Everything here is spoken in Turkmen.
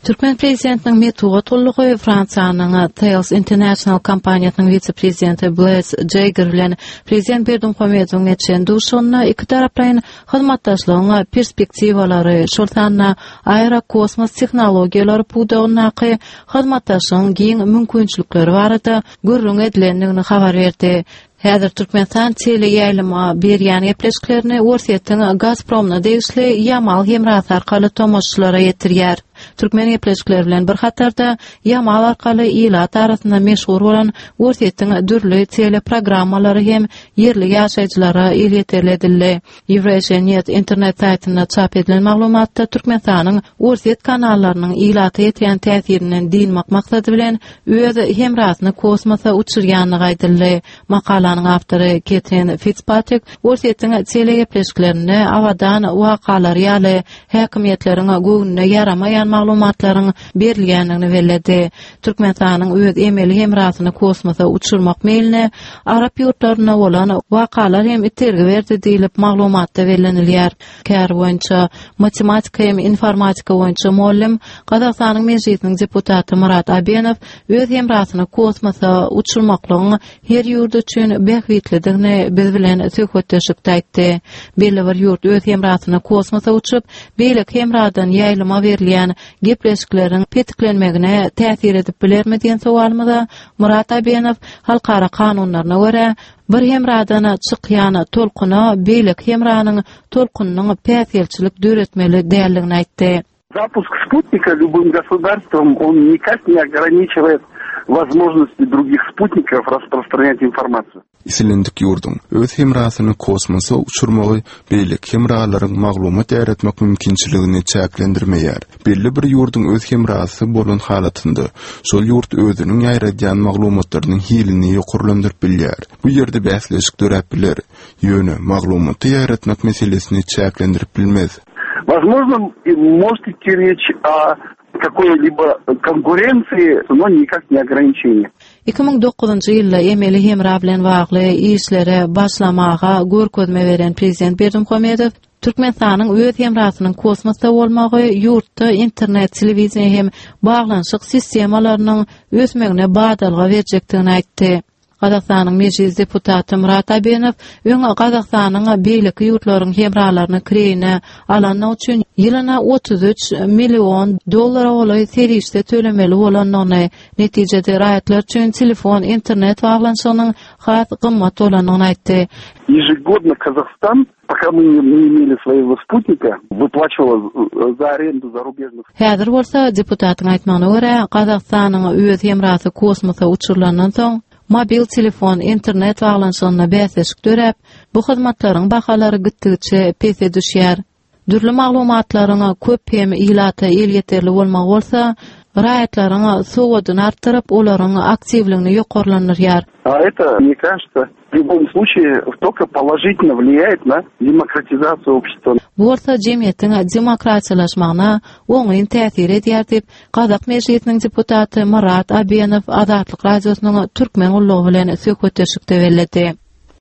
Türkmen prezidentiniň metbugat gullugy Fransiýanyň Thales International kompaniýasynyň wise-prezidenti Blaise Jaeger bilen prezident Berdimuhamedowyň geçiren duşuşygynda ikitaraplaýyn hyzmatdaşlygyň perspektiwalary, şol sanda aerokosmos tehnologiýalary pudagyndaky hyzmatdaşlygyň giň mümkinçilikleri barada gürrüň edilendigini habar berdi. Häzir Türkmenistan teleýaýlyma berýän gepleşiklerini Orsýetiň Gazpromyna degişli Ýamal hemrasy arkaly tomaşaçylara ýetirýär. Türkmen gepleşikleri bilen bir hatarda Ýamal arkaly ilat arasynda meşhur bolan Orsýetiň dürli teleprogrammalary hem ýerli ýaşaýjylara elýeterli edildi. Eurasianet internet saýtynda çap edilen maglumatda Türkmenistanyň Orsýet kanallarynyň ilata ýetirýän täsirinden dynmak maksady bilen öz hemrasyny kosmosa uçurýandygy aýdyldy. Makalanyň awtory Ketrin Fitspatrik Orsýetiň telegepleşiklerinde Abadan wakalary ýaly häkimiýetleriň göwnüne ýaramaýan maglumatlaryň berilýändigini belledi. Türkmenistanyň öz emeli hemrasyny kosmosa uçurmak meýline arap ýurtlarynda bolan wakalar hem itergi berdi diýlip, maglumatda bellenilýär. Käri boýunça matematika hem informatika boýunça mugallym, Gazagystanyň Mejlisiniň deputaty Murat Abenow öz hemrasyny kosmosa uçurmaklygyň her ýurt üçin bähbitlidigini biz bilen söhbetdeşlikde aýtdy. Belli bir ýurt öz hemrasyny kosmosa uçup, beýleki hemradan ýaýlyma berilýän gepleşikleriň petiklenmegine täsir edip bilermi diýen sowalymyza Murat Abenow halkara kanunlaryna görä, bir hemradan çykýan tolkuna beýleki hemranyň tolkunynyň päsgelçilik döretmeli däldigini aýtdy. Запуск спутника любым государством, он никак не ограничивает возможности других спутников распространять информацию. Islendik ýurduň öz hemrasyny kosmosa uçurmagy beýleki hemralaryň maglumat ýaýratmak mümkinçiligini çäklendirmeýär. Belli bir ýurduň öz hemrasy bolan halatynda, şol ýurt özüniň ýaýradýan maglumatlarynyň hilini ýokarlandyryp bilýär. Bu ýerde bäsleşik döräp biler, ýöne maglumaty ýaýratmak meselesini çäklendirip bilmez. Возможно, может идти речь о какой-либо konkurensiýa, no nikak ne ograniçeniýe. 2009-njy ýylda emeli hemra bilen bagly işlere başlamaga görkezme beren prezident Berdimuhamedow Türkmenistanyň öz hemrasynyň kosmosda bolmagy ýurtda internet, telewideniýe hem baglanyşyk sistemalarynyň ösmegine badalga berjekdigini aýtdy. Gazagystanyň Mejlis deputaty Murat Abenow öň Gazagystanyň beýleki ýurtlaryň hemralaryny kireýine alandygy üçin ýylyna 33 million dollara golaý serişde tölemeli bolandygyny, netijede raýatlar üçin telefon, internet baglanyşygynyň has gymmat bolandygyny aýtdy. Ежегодно Казахстан Пока мы не имели своего спутника, выплачивала за аренду зарубежных. Häzir bolsa, deputatyň aýtmagyna görä, Gazagystanyň öz hemrasy kosmosa uçurylandan soň, mobil telefon, internet baglanyşygynda bäsleşik döräp, bu hyzmatlaryň bahalary gitdigiçe pese düşýär. Dürli maglumatlaryň köp hem ilata elýeterli bolmagy bolsa, raýatlaryň sowadyny artdyryp, olaryň aktiwligini ýokarlandyrýar. A это, мне кажется, w lýubom sluçaýe tolko položitelno wliýaet na demokratizasiýu obşestwa. Bu bolsa jemgyýetiň demokratiýalaşmagyna oňyn täsir edýär diýip, Gazak Mejlisiniň deputaty Myrat Abenow Azatlyk Radiosynyň Türkmen gullugy bilen söhbetdeşlikde belledi.